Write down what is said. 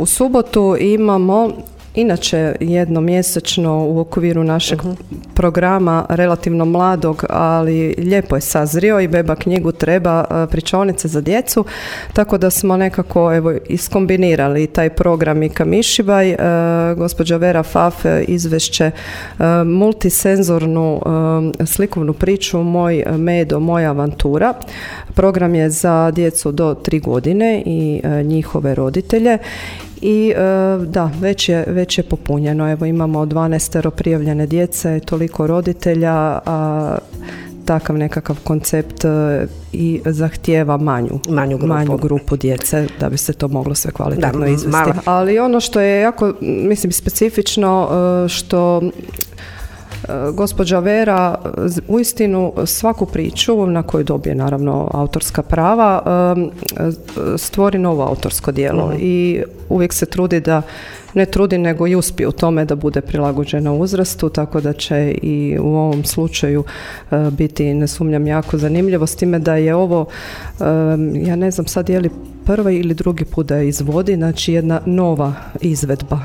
u subotu imamo inače jednomjesečno u okviru našeg programa relativno mladog, ali lijepo je sazrio i Beba knjigu treba, pričaonice za djecu, tako da smo nekako iskombinirali taj program i Kamišibaj. Gospođa Vera Faf izvešće multisenzornu slikovnu priču Moj medo, moja avantura. Program je za djecu do 3 godine i njihove roditelje. I da, već je popunjeno. Evo imamo 12 prijavljene djece, toliko roditelja, a takav nekakav koncept i zahtijeva manju grupu djece da bi se to moglo sve kvalitetno izvesti. Ali ono što je jako, specifično, što gospođa Vera uistinu svaku priču na koju dobije naravno autorska prava stvori novo autorsko djelo i uvijek se trudi nego i uspije u tome da bude prilagođena uzrastu, tako da će i u ovom slučaju biti, ne sumnjam, jako zanimljivo, s time da je ovo, ja ne znam sad je li prvi ili drugi put da je izvodi, znači jedna nova izvedba